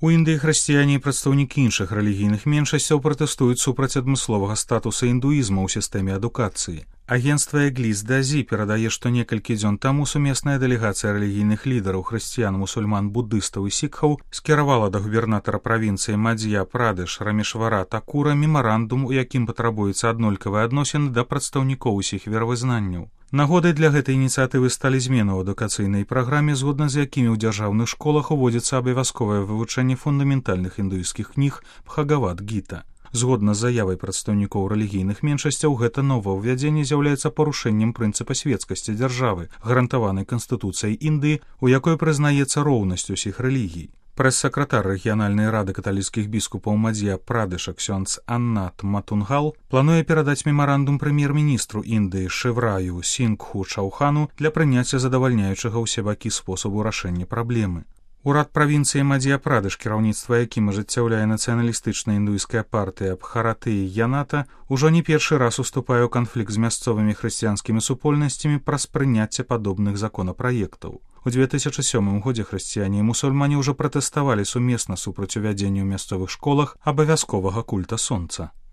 У Індыі хрысціяне і прадстаўнікі іншых рэлігійных меншасцяў пратэстуюць супраць адмысловага статуса індуізма ў сістэме адукацыі. Агенцтва Эглис Дазі перадае, што некалькі дзён таму сумесная дэлегацыя рэлігійных лідараў хрысціян, мусульман, буддыстаў і сікхаў скіравала да губернатара правінцыі Мадзья-Прадэш Рамешвара Такура мемарандум, у якім патрабуюцца аднолькавыя адносіны да прадстаўнікоў усіх веравызнанняў. Нагодай для гэтай ініцыятывы сталі змены ў адукацыйнай праграме, згодна з якімі ў дзяржаўных школах уводзіцца абавязковае вывучэнне фундаментальных індуісцкіх кніг Бхагавад-гіта. Згодна з заявай прадстаўнікоў рэлігійных меншасцяў, гэта новаўвядзенне з'яўляецца парушэннем прынцыпа светскасці дзяржавы, гарантаванай Канстытуцыяй Індыі, у якой прызнаецца роўнасць усіх рэлігій. Прэс-сакратар рэгіянальнай рады каталіцкіх біскупаў Мадзья-Прадэша ксёндз Аннат Матунгал плануе перадаць мемарандум прэм'ер-міністру Індыі Шывраю Сінгху Чаўхану для прыняцця задавальняючага ўсе бакі спосабу рашэння праблемы. Урад правінцыі Мадзья-Прадэш, кіраўніцтва якім ажыццяўляе нацыяналістычная індуійская партыя Бхаратыі Яната, ужо не першы раз уступае ў канфлікт з мясцовымі хрысціянскімі супольнасцямі праз прыняцце падобных законапраектаў. У 2007 годзе хрысціяне і мусульмане ўжо пратэставалі сумесна супраць увядзення ў мясцовых школах абавязковага культа сонца.